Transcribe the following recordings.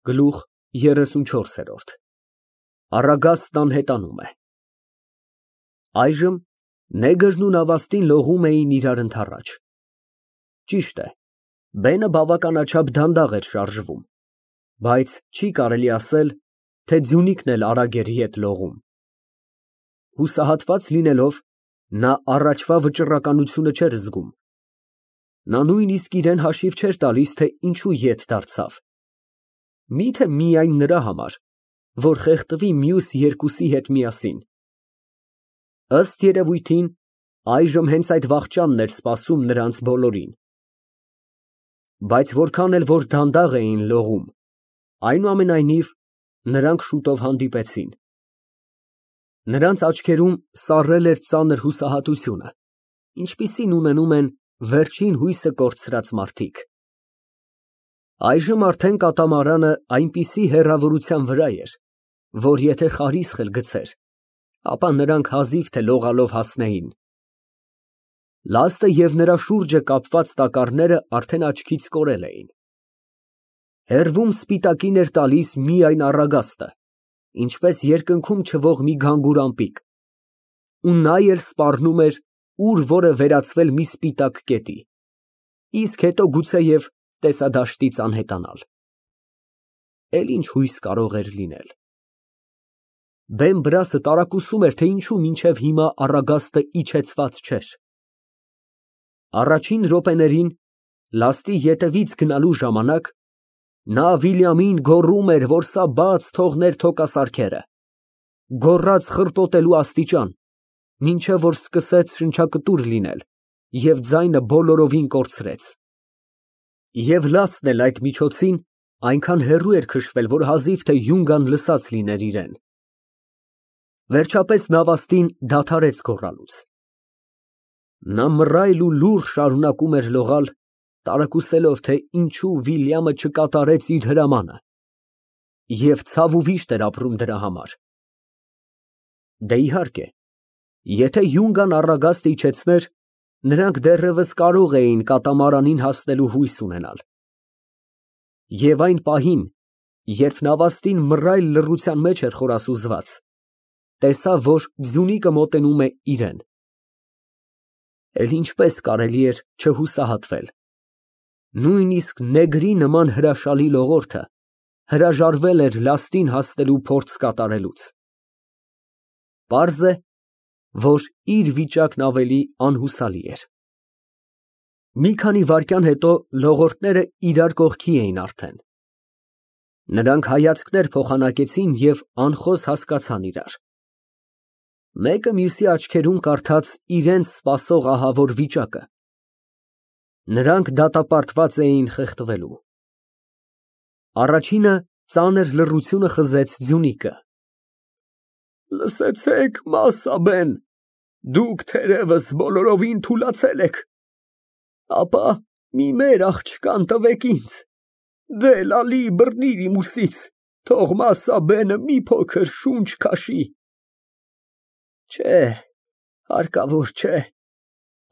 Գլուխ 34 Առագաստն անհետանում է։ Այժմ Նեգրն ու Նավաստին լողում էին իրար ընդառաջ։ Ճիշտ է, բենը բավականաչափ դանդաղ էր շարժվում, բայց չի կարելի ասել, թե ձյունիկն էլ արագ էր ետ լողում։ Հուսահատված լինելով, նա առաջվա վճռականությունը չէր զգում։ Նա նույնիսկ իրան հաշիվ չէր տալիս, թե ինչու ետ դարձավ։ Միթե միայն նրա համար, որ խեղդվի մյուս երկուսի հետ միասին։ Ըստ երևույթին, այժմ հենց այդ վախճանն էր սպասում նրանց բոլորին։ Բայց որքան էլ որ դանդաղ էին լողում, այնուամենայնիվ նրանք շուտով հանդիպեցին։ Նրանց աչքերում սառել էր ծանր հուսահատությունը, ինչպիսին ունենում են վերջին հույսը կորցրած մարդիկ։ Այժմ արդեն կատամարանը այնպիսի հեռավորության վրա էր, որ եթե խարիսխ էլ գցեր, ապա նրանք հազիվ թե լողալով հասնեին։ Լաստը և նրա շուրջը կապված տակառները արդեն աչքից կորել էին։ Հեռվում սպիտակին էր տալիս միայն առագաստը, ինչպես երկնքում չվող մի գանգուր ամպիկ, ու նա էլ սպառնում էր ուր որ է վերածվել մի սպիտակ կետի, իսկ հետո գուցեև տեսադաշտից անհետանալ։ Էլ ինչ հույս կարող էր լինել։ Բեն֊Բրասը տարակուսում էր, թե ինչու մինչև հիմա առագաստը իջեցված չէր։ Առաջին րոպեներին, լաստի ետևից գնալու ժամանակ, նա Վիլյամին գոռում էր, որ սա բաց թողներ թոկասարքերը, գոռաց խրտոտելու աստիճան, մինչև որ սկսեց շնչակտուր լինել և ձայնը բոլորովին կորցրեց։ Եվ լաստն էլ այդ միջոցին այնքան հեռու էր քշվել, որ հազիվ թե յունգան լսած լիներ իրեն։ Վերջապես Նավաստին դադարեց գոռալուց։ Նա մռայլ ու լուռ շարունակում էր լողալ, տարակուսելով, թե ինչու Վիլյամը չկատարեց իր հրամանը, և ցավ ու վիշտ էր ապրում դրա համար։ Դե իհարկե, եթե յունգան առագաստը իջեցներ, նրանք դեռևս կարող էին կատամարանին հասնելու հույս ունենալ։ Եվ այն պահին, երբ Նավաստին մռայլ լռության մեջ էր խորասուզված, տեսավ, որ ձյունիկը մոտենում է իրան։ Էլ ինչպես կարելի էր չհուսահատվել։ Նույնիսկ Նեգրի նման հրաշալի լողորդը հրաժարվել էր լաստին հասնելու փորձ կատարելուց։ Պարզ է, որ իր վիճակն ավելի անհուսալի էր։ Մի քանի վայրկյան հետո լողորդները իրար կողքի էին արդեն։ Նրանք հայացքներ փոխանակեցին և անխոս հասկացան իրար։ Մեկը մյուսի աչքերում կարդաց իրենց սպասող ահավոր վիճակը։ Նրանք դատապարտված էին խեղդվելու։ Առաջինը ծանր լռությունը խզեց ձյունիկը։ Լսեցեք, Մասսաբեն, դուք թերևս բոլորովին թուլացել եք, ապա մի մեր աղջկան տվեք ինձ, դե լալի բռնիր իմ ուսից, թող Մասսաբենը մի փոքր շունչ քաշի։ Չէ, հարկավոր չէ,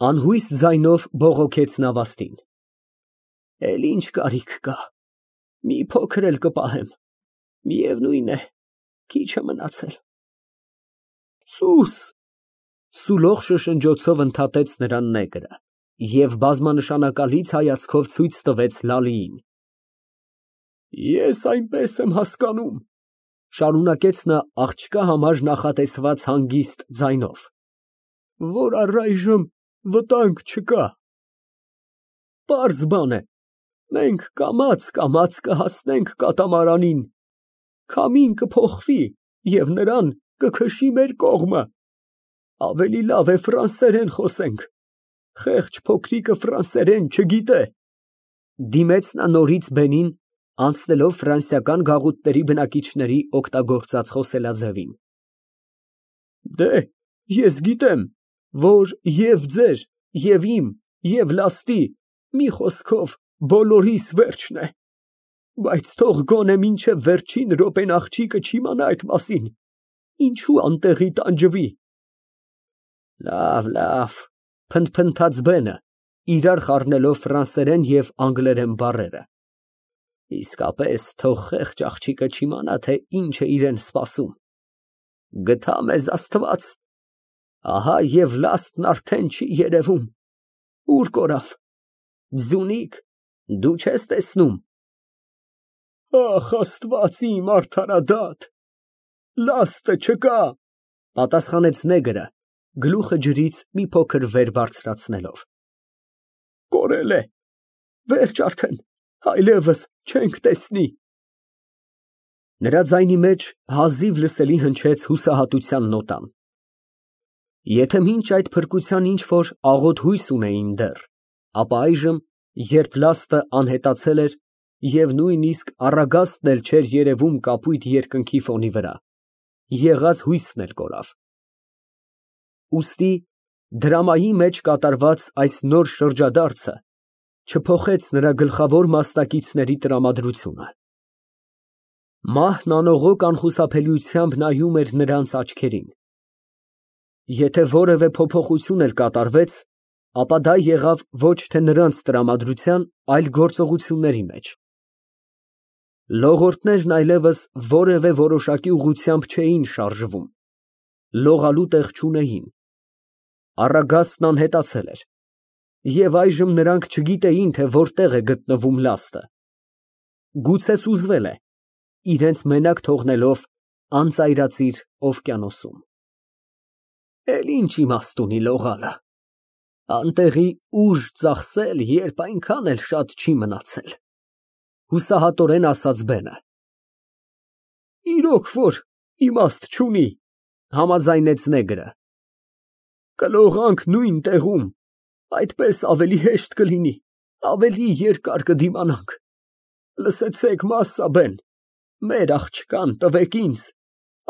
անհույս ձայնով բողոքեց Նավաստին։ Էլ ինչ կարիք կա, մի փոքր էլ կպահեմ, միևնույն է, քիչ է մնացել։ Սուս, սուլող շշնջոցով ընդհատեց նրան Նեգրը և բազմանշանակալից հայացքով ցույց տվեց Լալիին։ Ես այնպես եմ հասկանում, շարունակեց նա աղջկա համար նախատեսված հանգիստ ձայնով, որ առայժմ վտանգ չկա։ Պարզ բան է, մենք կամաց կհասնենք կատամարանին, քամին կփոխվի և նրան կքշի մեր կողմը։ Ավելի լավ է ֆրանսերեն խոսենք, խեղճ փոքրիկը ֆրանսերեն չգիտե։ Դիմեց նա նորից բենին, անցնելով ֆրանսիական գաղութների բնակիչների օգտագործած խոսելաձևին։ Դե, ես գիտեմ, որ և ձեր, և իմ, և լաստի, մի խոսքով բոլորիս վերջն է, բայց թող գոնե մինչև վերջին րոպեն աղջիկը չիմանա այդ մասին, ինչու անտեղի տանջվի։ Լավ, փնթփնթաց բենը, իրար խառնելով ֆրանսերեն և անգլերեն բառերը։ Իսկապես թող խեղճ աղջիկը չիմանա, թե ինչ է իրեն սպասում։ Գթա մեզ Աստված, ահա և լաստն արդեն չի երևում։ Ուր կորավ։ Ձյունիկ, դու չես տեսնում։ Ախ, Աստված իմ արդարադատ, լաստը չկա, պատասխանեց նեգրը, գլուխը ջրից մի փոքր վեր բարձրացնելով։ Կորել է, վերջ արդեն, այլևս չենք տեսնի։ Նրա ձայնի մեջ հազիվ լսելի հնչեց հուսահատության նոտան։ Եթե մինչ այդ փրկության ինչ-որ աղոտ հույս ունեին դեռ, ապա այժմ, երբ լաստը անհետացել էր և նույնիսկ առագաստն էլ չէր երևում կապույտ երկնքի ֆոնի վրա, եղած հույսն էլ կորավ։ Ուստի դրամայի մեջ կատարված այս նոր շրջադարձը չփոխեց նրա գլխավոր մասնակիցների տրամադրությունը։ Մահն անողոք անխուսափելիությամբ նայում էր նրանց աչքերին։ Եթե որևէ փոփոխություն էլ կատարվեց, ապա դա եղավ ոչ թե նրանց տրամադրության, այլ գործողությունների մեջ։ Լողորդներն այլևս որևէ որոշակի ուղղությամբ չէին շարժվում, լողալու տեղ չունեին։ Առագաստն անհետացել էր, և այժմ նրանք չգիտեին, թե որտեղ է գտնվում լաստը։ Գուցե սուզվել է, իրենց մենակ թողնելով անծայրածիր օվկիանոսում։ Էլ ինչ իմաստ ունի լողալը, անտեղի ուժ ծախսել, երբ այնքան էլ շատ չի մնացել, հուսահատորեն ասաց Բենը։ Իրոք որ իմաստ չունի, համաձայնեց նեգրը։ Կլողանք նույն տեղում, այդպես ավելի հեշտ կլինի, ավելի երկար կդիմանանք։ Լսեցեք, Մասսա բեն, մեր աղջկան տվեք ինձ,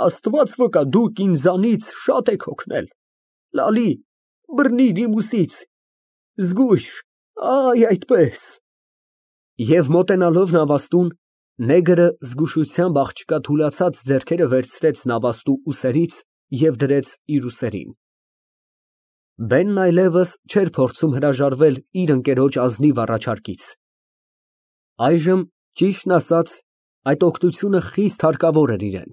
Աստված վկա, դուք ինձանից շատ եք օգնել։ Լալի, բռնիր իմ ուսից, զգույշ, այ այդպես։ Եվ մոտենալով նավաստուն, նեգրը զգուշությամբ աղջկա թուլացած ձեռքերը վերցրեց նավաստու ուսերից և դրեց իր ուսերին։ Բենն այլևս չէր փորձում հրաժարվել իր ընկերոջ ազնիվ առաջարկից։ Այժմ, ճիշտն ասած, այդ օգնությունը խիստ հարկավոր էր իրան։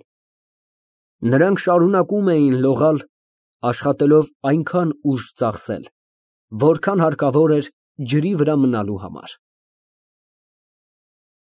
Նրանք շարունակում էին լողալ, աշխատելով այնքան ուժ ծախսել, որքան հարկավոր էր ջրի վրա մնալու համար։